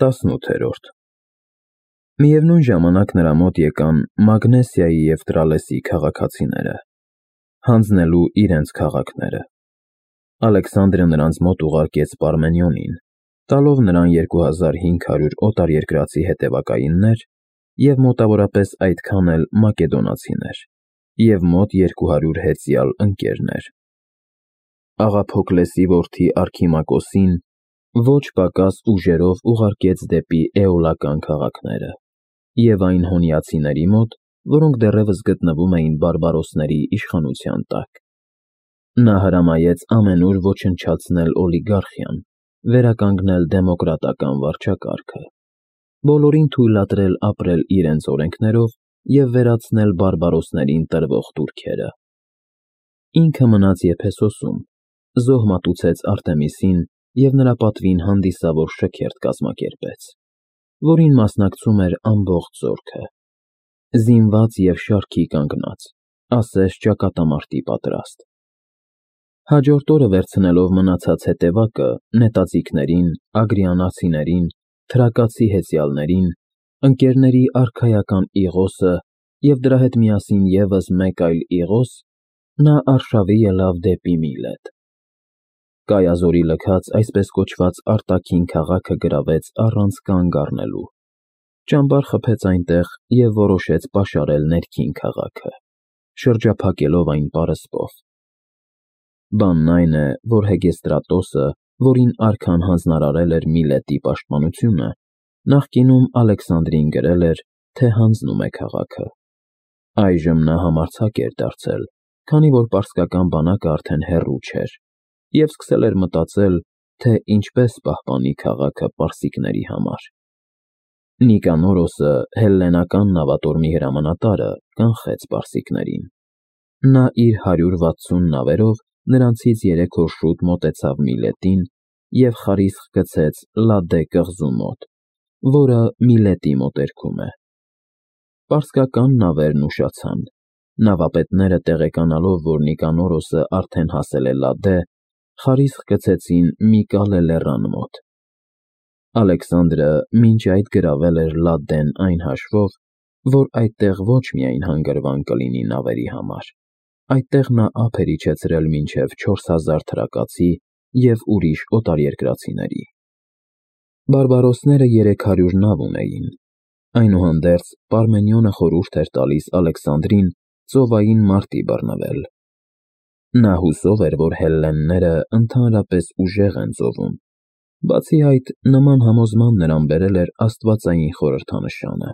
18-րդ Միևնույն ժամանակ նրա մոտ եկան Մագնեսիայի և Տրալեսի քաղաքացիները, հանձնելու իրենց քաղաքները։ Ալեքսանդրը նրանց մոտ ուղարկեց Պարմենիոնին, տալով նրան 2500 օտարերկրացի հետևակայիններ և մոտավորապես այդքան էլ մակեդոնացիներ և մոտ 200 հեծյալ ընկերներ։ Աղա Փոքլեսի որդի Արքիմակոսին ոչ պակաս ուժերով ուղարկեց դեպի էոլական քաղաքները և այն հոնիացիների մոտ, որոնք դեռևս գտնվում էին բարբարոսների իշխանության տակ։ Նա հրամայեց ամենուր ոչնչացնել օլիգարխիան, վերականգնել դեմոկրատական վարչակարգը, բոլորին թույլատրել ապրել իրենց օրենքներով և վերացնել բարբարոսներին տրվող տուրքերը։ Ինքը մնաց Եփեսոսում, զոհ մատուցեց Արտեմիսին և նրա պատվին հանդիսավոր շքերթ կազմակերպեց, որին մասնակցում էր ամբողջ զորքը, զինված և շարքի կանգնած, ասես ճակատամարտի պատրաստ։ Հաջորդ օրը վերցնելով մնացած հետևակը, նետաձիգներին, ագրիանացիներին, թրակացի հեծյալներին, ընկերների արքայական Իղոսը և դրա հետ միասին ևս մեկ այլ Իղոս, նա արշավի ելավ դեպի Միլետ։ Կայազորի լքած այսպես կոչված արտաքին քաղաքը գրավեց առանց կանգ առնելու, ճամբար խփեց այնտեղ և որոշեց պաշարել ներքին քաղաքը, շրջափակելով այն պարսպով։ Բանն այն է, որ Հեգեստրատոսը, որին արքան հանձնարարել էր Միլետի պաշտպանությունը, նախկինում Ալեքսանդրին գրել էր, թե հանձնում է քաղաքը։ Այժմ նա համարձակ էր դարձել, քանի որ պարսկական բանակը արդեն հեռու չէր, և սկսել էր մտածել, թե ինչպես պահպանի քաղաքը պարսիկների համար։ Նիկանորոսը, հելլենական նավատորմի հրամանատարը, կանխեց պարսիկներին։ Նա իր 160 նավերով նրանցից 3 օր շուտ մոտեցավ Միլետին և խարիսխ գցեց Լադե կղզու մոտ, որը Միլետի մոտերքում է։ Պարսկական նավերն ուշացան։ Նավապետները տեղեկանալով, որ Նիկանորոսը արդեն հասել է Լադե, խարիսխ գցեցին Միկալե լեռան մոտ։ Ալեքսանդրը մինչ այդ գրավել էր Լադդեն այն հաշվով, որ այդտեղ ոչ միայն հանգրվան կլինի նավերի համար, այդտեղ նա ափ էր իջեցրել մինչև 4000 թրակացի և ուրիշ օտարերկրացիների։ Բարբարոսները 300 նավ ունեին։ Այնուհանդերձ Պարմենիոնը խորհուրդ էր տալիս Ալեքսանդրին ծովային մարտի բռնվել։ Նա հուսով էր, որ հելլենները ընդհանրապես ուժեղ են ծովում, բացի այդ, նման համոզման նրան բերել էր աստվածային խորհրդանշանը։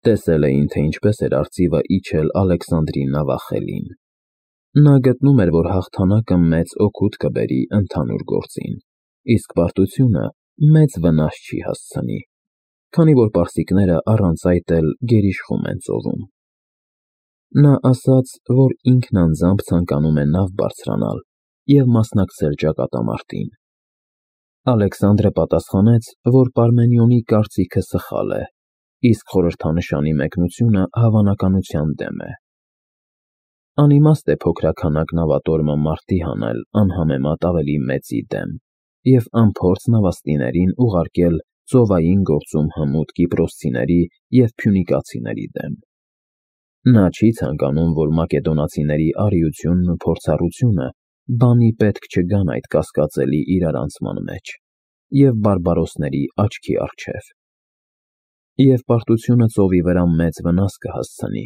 Տեսել էին, թե ինչպես էր արծիվը իջել Ալեքսանդրի նավախելին։ Նա գտնում էր, որ հաղթանակը մեծ օգուտ կբերի ընդհանուր գործին, իսկ պարտությունը մեծ վնաս չի հասցնի, քանի որ պարսիկները առանց այդ էլ գերիշխում են ծովում։ Նա ասաց, որ ինքն անձամբ ցանկանում է նավ բարձրանալ և մասնակցել ճակատամարտին։ Ալեքսանդրը պատասխանեց, որ Պարմենիոնի կարծիքը սխալ է, իսկ խորհրդանշանի մեկնությունը հավանականության դեմ է։ Անիմաստ է փոքրաքանակ նավատորմը մարտի հանել անհամեմատ ավելի մեծի դեմ և անփորձ նավաստիներին ուղարկել ծովային գործում հմուտ կիպրոսցիների և փյունիկացիների դեմ։ Նա չի ցանկանում, որ մակեդոնացիների արիությունն ու փորձառությունը բանի պետք չգան այդ կասկածելի իրարանցման մեջ և բարբարոսների աչքի առջև։ Եվ պարտությունը ծովի վրա մեծ վնաս կհասցնի,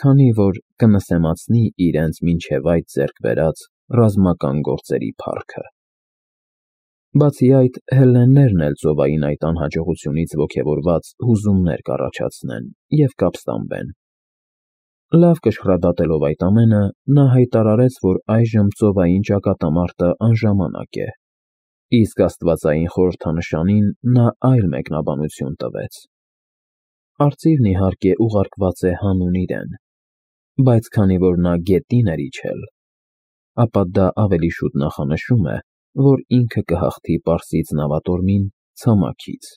քանի որ կնսեմացնի իրենց մինչև այդ ձեռք բերած ռազմական գործերի փառքը։ Բացի այդ, հելլեններն էլ ծովային այդ անհաջողությունից ոգևորված հուզումներ կառաջացնեն և կապստամբեն։ Լավ կշռադատելով այդ ամենը, նա հայտարարեց, որ այժմ ծովային ճակատամարտը անժամանակ է, իսկ աստվածային խորհրդանշանին նա այլ մեկնաբանություն տվեց։ Արծիվն իհարկե ուղարկված է հանուն իրեն, բայց քանի որ նա գետին էր իջել, ապա դա ավելի շուտ նախանշում է, որ ինքը կհաղթի Պարսից նավատորմին ցամաքից։